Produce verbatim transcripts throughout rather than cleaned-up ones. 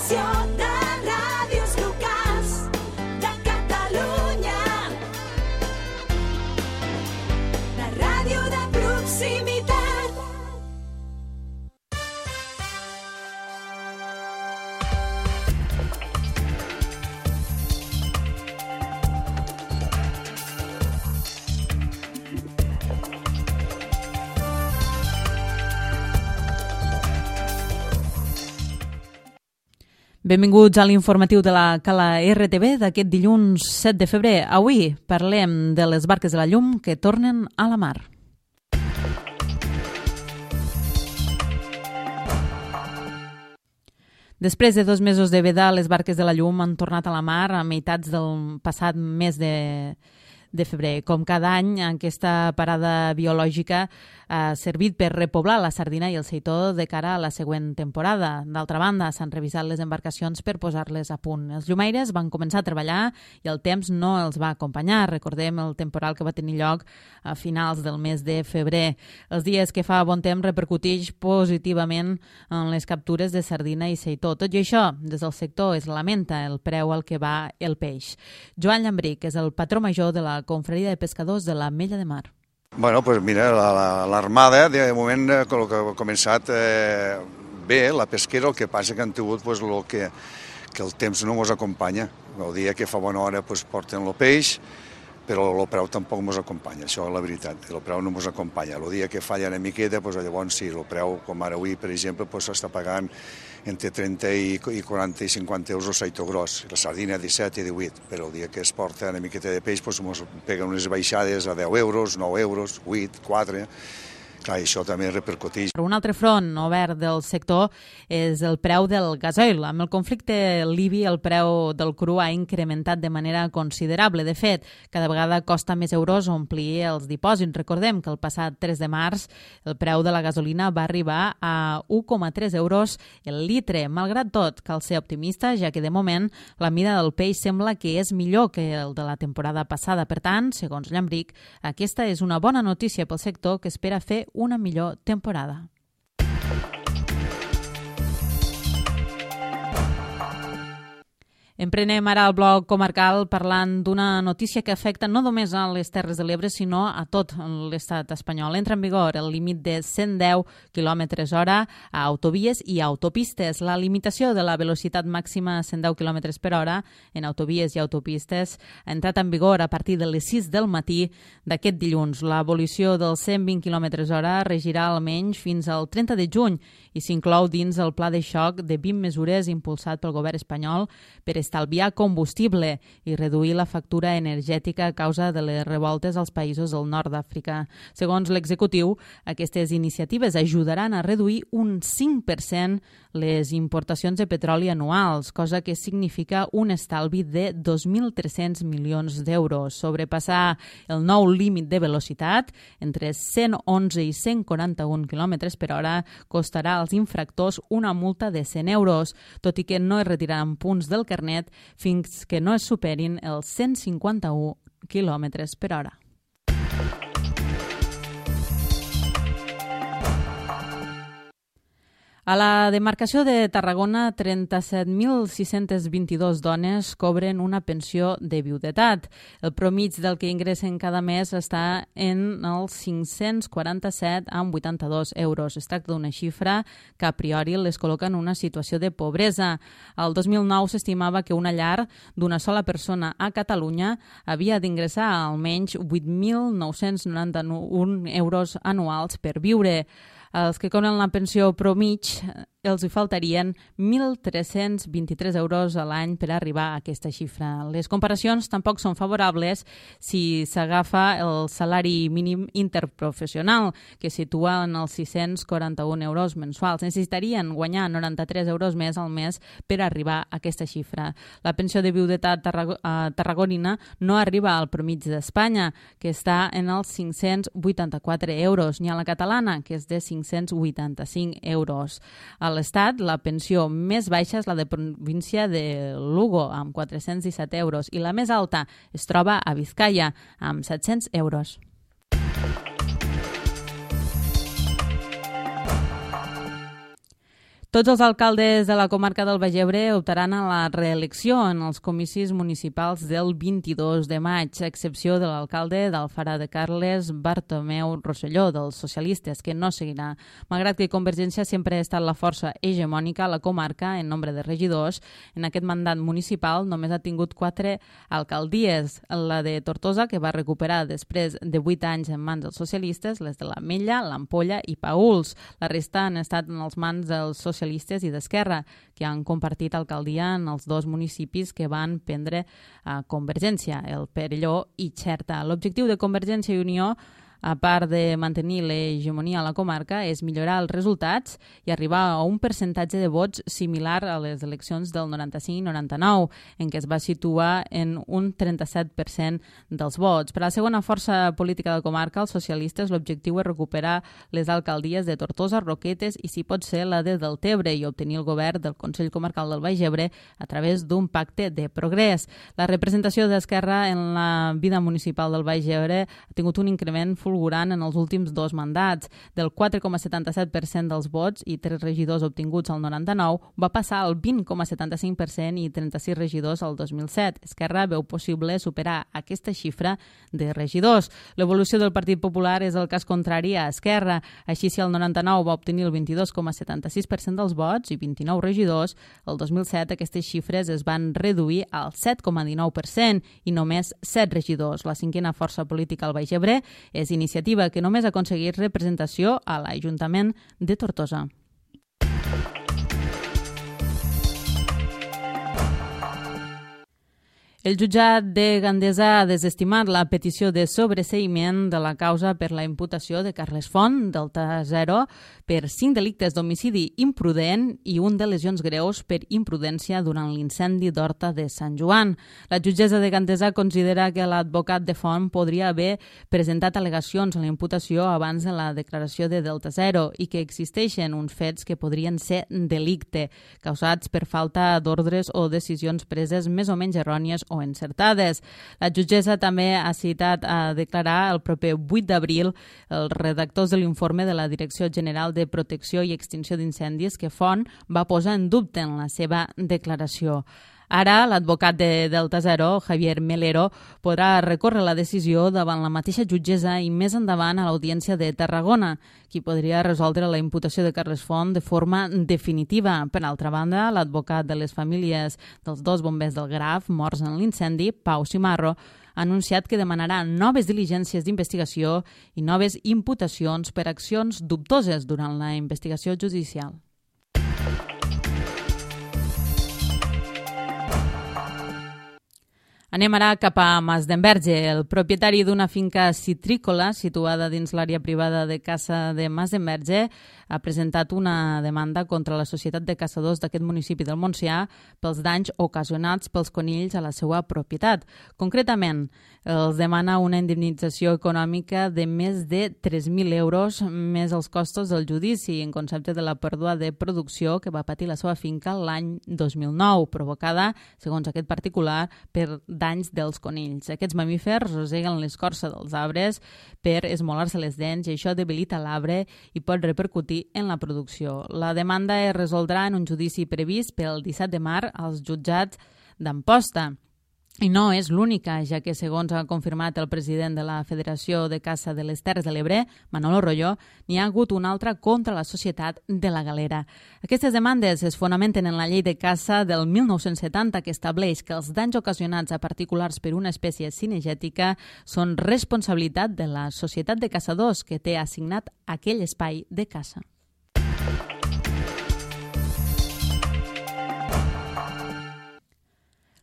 informació de ràdios locals de Catalunya. La ràdio de proximitat. Benvinguts a l'informatiu de la Cala R T V d'aquest dilluns set de febrer. Avui parlem de les barques de la llum que tornen a la mar. Després de dos mesos de veda, les barques de la llum han tornat a la mar a meitats del passat mes de, de febrer. Com cada any, aquesta parada biològica ha servit per repoblar la sardina i el seitó de cara a la següent temporada. D'altra banda, s'han revisat les embarcacions per posar-les a punt. Els llumaires van començar a treballar i el temps no els va acompanyar. Recordem el temporal que va tenir lloc a finals del mes de febrer. Els dies que fa bon temps repercuteix positivament en les captures de sardina i seitó. Tot i això, des del sector es lamenta el preu al que va el peix. Joan Llambric és el patró major de la Confraria de Pescadors de l'Ametlla de Mar. Bueno, pues mira, l'armada de moment eh, que ha començat eh, bé, la pesquera, el que passa que han tingut pues, lo que, que el temps no ens acompanya. El dia que fa bona hora pues, porten el peix, però el preu tampoc ens acompanya, això és la veritat, el preu no ens acompanya. El dia que falla una miqueta, pues, llavors sí, el preu, com ara avui, per exemple, s'està pues, pagant entre trenta i quaranta i cinquanta euros el seitó gros, la sardina disset i divuit, però el dia que es porta una miqueta de peix pues, ens peguen unes baixades a deu euros, nou euros, vuit, quatre... Clar, això també repercuteix. Un altre front obert del sector és el preu del gasoil. Amb el conflicte libi, el preu del cru ha incrementat de manera considerable. De fet, cada vegada costa més euros omplir els dipòsits. Recordem que el passat tres de març el preu de la gasolina va arribar a u coma tres euros el litre. Malgrat tot, cal ser optimista, ja que de moment la mida del peix sembla que és millor que el de la temporada passada. Per tant, segons Llambric, aquesta és una bona notícia pel sector que espera fer una millor temporada. Emprenem ara el bloc comarcal parlant d'una notícia que afecta no només a les Terres de l'Ebre, sinó a tot l'estat espanyol. Entra en vigor el límit de cent deu quilòmetres hora a autovies i autopistes. La limitació de la velocitat màxima a cent deu quilòmetres per hora en autovies i autopistes ha entrat en vigor a partir de les sis del matí d'aquest dilluns. L'abolició dels cent vint quilòmetres hora regirà almenys fins al trenta de juny i s'inclou dins el pla de xoc de vint mesures impulsat pel govern espanyol per estalviar combustible i reduir la factura energètica a causa de les revoltes als països del nord d'Àfrica. Segons l'executiu, aquestes iniciatives ajudaran a reduir un cinc per cent les importacions de petroli anuals, cosa que significa un estalvi de dos mil tres-cents milions d'euros. Sobrepassar el nou límit de velocitat, entre cent onze i cent quaranta-un quilòmetres per hora, costarà als infractors una multa de cent euros, tot i que no es retiraran punts del carnet fins que no es superin els cent cinquanta-un quilòmetres per hora. A la demarcació de Tarragona, trenta-set mil sis-cents vint-i-dos dones cobren una pensió de viudetat. El promig del que ingressen cada mes està en els cinc-cents quaranta-set coma vuitanta-dos euros. Es tracta d'una xifra que a priori les col·loca en una situació de pobresa. El dos mil nou s'estimava que una llar d'una sola persona a Catalunya havia d'ingressar almenys vuit mil nou-cents noranta-un euros anuals per viure. Els que cobren la pensió promig els hi faltarien mil tres-cents vint-i-tres euros a l'any per arribar a aquesta xifra. Les comparacions tampoc són favorables si s'agafa el salari mínim interprofessional, que situa en els sis-cents quaranta-un euros mensuals. Necessitarien guanyar noranta-tres euros més al mes per arribar a aquesta xifra. La pensió de viudetat tarrago- eh, tarragonina no arriba al promig d'Espanya, que està en els cinc-cents vuitanta-quatre euros, ni a la catalana, que és de cinc-cents vuitanta-cinc euros. A l'Estat, la pensió més baixa és la de província de Lugo, amb quatre-cents disset euros, i la més alta es troba a Vizcaya, amb set-cents euros. Tots els alcaldes de la comarca del Baix Ebre optaran a la reelecció en els comicis municipals del vint-i-dos de maig, a excepció de l'alcalde d'Alfara de Carles, Bartomeu Rosselló, dels socialistes, que no seguirà. Malgrat que Convergència sempre ha estat la força hegemònica a la comarca en nombre de regidors, en aquest mandat municipal només ha tingut quatre alcaldies. La de Tortosa, que va recuperar després de vuit anys en mans dels socialistes, les de l'Ametlla, l'Ampolla i Paüls. La resta han estat en els mans dels socialistes i d'Esquerra, que han compartit alcaldia en els dos municipis que van prendre a Convergència, el Perelló i Xerta. L'objectiu de Convergència i Unió, a part de mantenir l'hegemonia a la comarca, és millorar els resultats i arribar a un percentatge de vots similar a les eleccions del noranta-cinc i noranta-nou, en què es va situar en un trenta-set per cent dels vots. Per a la segona força política de la comarca, els socialistes, l'objectiu és recuperar les alcaldies de Tortosa, Roquetes i, si pot ser, la de Deltebre i obtenir el govern del Consell Comarcal del Baix Ebre a través d'un pacte de progrés. La representació d'Esquerra en la vida municipal del Baix Ebre ha tingut un increment fulgurant en els últims dos mandats. Del quatre coma setanta-set per cent dels vots i tres regidors obtinguts al noranta-nou va passar al vint coma setanta-cinc per cent i trenta-sis regidors al dos mil set. Esquerra veu possible superar aquesta xifra de regidors. L'evolució del Partit Popular és el cas contrari a Esquerra. Així, si el noranta-nou va obtenir el vint-i-dos coma setanta-sis per cent dels vots i vint-i-nou regidors, el dos mil set aquestes xifres es van reduir al set coma dinou per cent i només set regidors. La cinquena força política al Baix Ebre és iniciativa, que només ha aconseguit representació a l'Ajuntament de Tortosa. El jutjat de Gandesa ha desestimat la petició de sobreseïment de la causa per la imputació de Carles Font, Delta Zero, per cinc delictes d'homicidi imprudent i un de lesions greus per imprudència durant l'incendi d'Horta de Sant Joan. La jutgessa de Gandesa considera que l'advocat de Font podria haver presentat al·legacions a la imputació abans de la declaració de Delta Zero i que existeixen uns fets que podrien ser delicte, causats per falta d'ordres o decisions preses més o menys errònies o encertades. La jutgessa també ha citat a declarar el proper vuit d'abril els redactors de l'informe de la Direcció General de Protecció i Extinció d'Incendis que Font va posar en dubte en la seva declaració. Ara, l'advocat de Delta Zero, Javier Melero, podrà recórrer la decisió davant la mateixa jutgessa i més endavant a l'Audiència de Tarragona, qui podria resoldre la imputació de Carles Font de forma definitiva. Per altra banda, l'advocat de les famílies dels dos bombers del Graf morts en l'incendi, Pau Cimarro, ha anunciat que demanarà noves diligències d'investigació i noves imputacions per accions dubtoses durant la investigació judicial. Anem ara cap a Masdenverge. El propietari d'una finca citrícola situada dins l'àrea privada de caça de Masdenverge ha presentat una demanda contra la Societat de Caçadors d'aquest municipi del Montsià pels danys ocasionats pels conills a la seva propietat. Concretament, els demana una indemnització econòmica de més de tres mil euros més els costos del judici en concepte de la pèrdua de producció que va patir la seva finca l'any dos mil nou, provocada, segons aquest particular, per danys dels conills. Aquests mamífers roseguen l'escorça dels arbres per esmolar-se les dents i això debilita l'arbre i pot repercutir en la producció. La demanda es resoldrà en un judici previst pel disset de març als jutjats d'Amposta. I no és l'única, ja que, segons ha confirmat el president de la Federació de Caça de les Terres de l'Ebre, Manolo Royo, n'hi ha hagut una altra contra la Societat de la Galera. Aquestes demandes es fonamenten en la llei de caça del mil nou-cents setanta, que estableix que els danys ocasionats a particulars per una espècie cinegètica són responsabilitat de la Societat de Caçadors, que té assignat aquell espai de caça.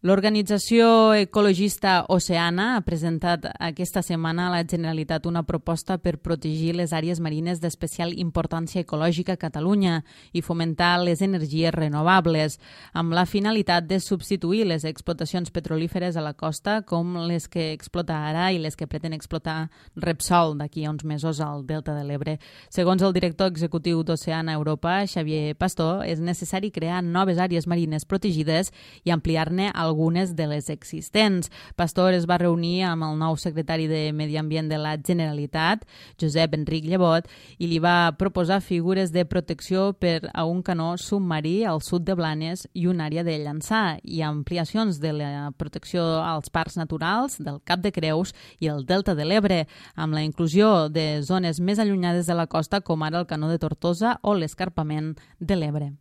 L'organització ecologista Oceana ha presentat aquesta setmana a la Generalitat una proposta per protegir les àrees marines d'especial importància ecològica a Catalunya i fomentar les energies renovables, amb la finalitat de substituir les explotacions petrolíferes a la costa, com les que explota ara i les que pretén explotar Repsol d'aquí a uns mesos al Delta de l'Ebre. Segons el director executiu d'Oceana Europa, Xavier Pastor, és necessari crear noves àrees marines protegides i ampliar-ne el algunes de les existents. Pastor es va reunir amb el nou secretari de Medi Ambient de la Generalitat, Josep Enric Llebot, i li va proposar figures de protecció per a un canó submarí al sud de Blanes i una àrea de Llançà, i ampliacions de la protecció als parcs naturals del Cap de Creus i el Delta de l'Ebre, amb la inclusió de zones més allunyades de la costa, com ara el canó de Tortosa o l'escarpament de l'Ebre.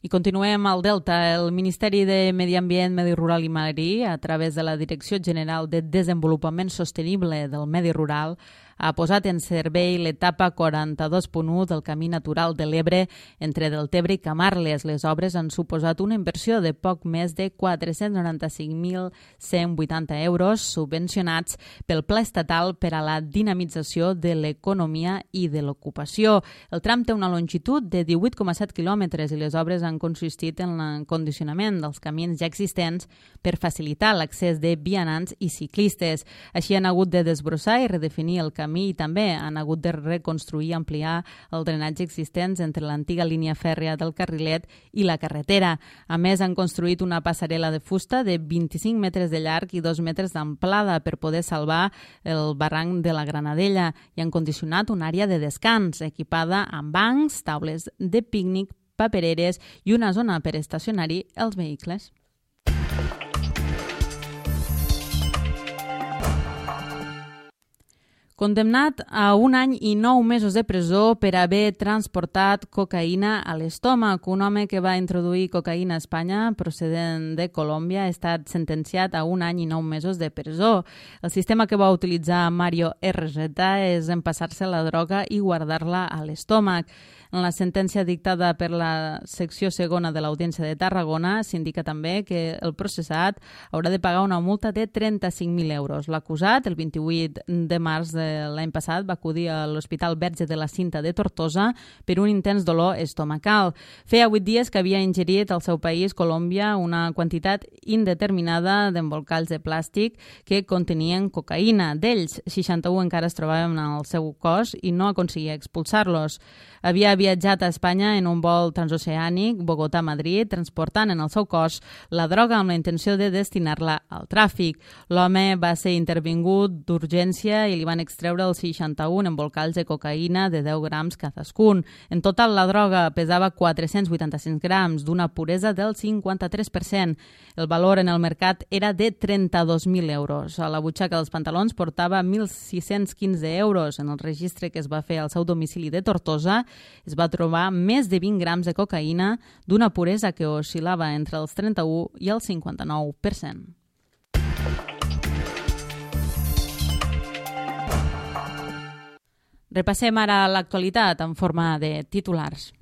I continuem al Delta. El Ministeri de Medi Ambient, Medi Rural i Marí, a través de la Direcció General de Desenvolupament Sostenible del Medi Rural, ha posat en servei l'etapa quaranta-dos punt u del Camí Natural de l'Ebre entre Deltebre i Camarles. Les obres han suposat una inversió de poc més de quatre-cents noranta-cinc mil cent vuitanta euros subvencionats pel Pla Estatal per a la dinamització de l'economia i de l'ocupació. El tram té una longitud de divuit coma set quilòmetres i les obres han consistit en l'encondicionament dels camins ja existents per facilitar l'accés de vianants i ciclistes. Així han hagut de desbrossar i redefinir el camí i també han hagut de reconstruir i ampliar el drenatge existents entre l'antiga línia fèrria del Carrilet i la carretera. A més, han construït una passarel·la de fusta de vint-i-cinc metres de llarg i dos metres d'amplada per poder salvar el barranc de la Granadella i han condicionat una àrea de descans equipada amb bancs, taules de pícnic, papereres i una zona per estacionar-hi els vehicles. Condemnat a un any i nou mesos de presó per haver transportat cocaïna a l'estómac. Un home que va introduir cocaïna a Espanya procedent de Colòmbia ha estat sentenciat a un any i nou mesos de presó. El sistema que va utilitzar Mario R Z és empassar-se la droga i guardar-la a l'estómac. En la sentència dictada per la secció segona de l'Audiència de Tarragona s'indica també que el processat haurà de pagar una multa de trenta-cinc mil euros. L'acusat, el vint-i-vuit de març de l'any passat, va acudir a l'Hospital Verge de la Cinta de Tortosa per un intens dolor estomacal. Feia vuit dies que havia ingerit al seu país, Colòmbia, una quantitat indeterminada d'embolcalls de plàstic que contenien cocaïna. D'ells, seixanta-u encara es trobaven al seu cos i no aconseguia expulsar-los. Havia viatjat a Espanya en un vol transoceànic Bogotà-Madrid, transportant en el seu cos la droga amb la intenció de destinar-la al tràfic. L'home va ser intervingut d'urgència i li van extreure els seixanta-un embolcalls de cocaïna de deu grams cadascun. En total, la droga pesava quatre-cents vuitanta-cinc grams, d'una puresa del cinquanta-tres per cent. El valor en el mercat era de trenta-dos mil euros. A la butxaca dels pantalons portava mil sis-cents quinze euros. En el registre que es va fer al seu domicili de Tortosa es va trobar més de vint grams de cocaïna d'una puresa que oscil·lava entre els trenta-u i el cinquanta-nou per cent. Repassem ara l'actualitat en forma de titulars.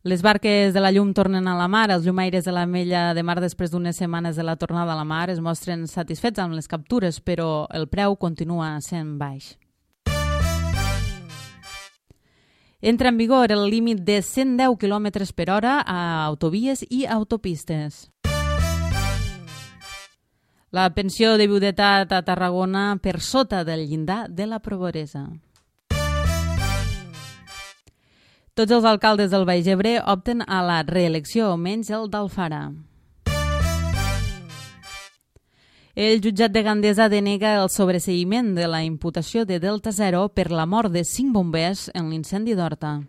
Les barques de la llum tornen a la mar. Els llumaires de l'Ametlla de Mar, després d'unes setmanes de la tornada a la mar, es mostren satisfets amb les captures, però el preu continua sent baix. Entra en vigor el límit de cent deu quilòmetres per hora a autovies i autopistes. La pensió de viudetat a Tarragona per sota del llindar de la pobresa. Tots els alcaldes del Baix Ebre opten a la reelecció, menys el d'Alfara. El jutjat de Gandesa denega el sobreseïment de la imputació de Delta Zero per la mort de cinc bombers en l'incendi d'Horta.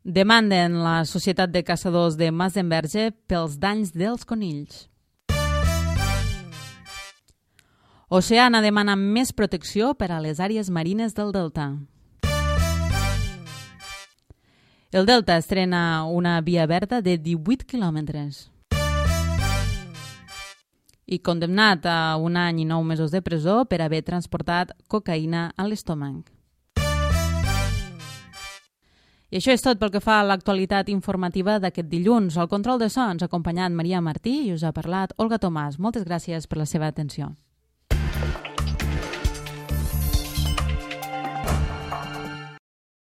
Demanden la Societat de Caçadors de Masdenverge pels danys dels conills. Oceana demana més protecció per a les àrees marines del Delta. El Delta estrena una via verda de divuit quilòmetres. I condemnat a un any i nou mesos de presó per haver transportat cocaïna a l'estómac. I això és tot pel que fa a l'actualitat informativa d'aquest dilluns. Al control de so ens ha acompanyat Maria Martí i us ha parlat Olga Tomàs. Moltes gràcies per la seva atenció.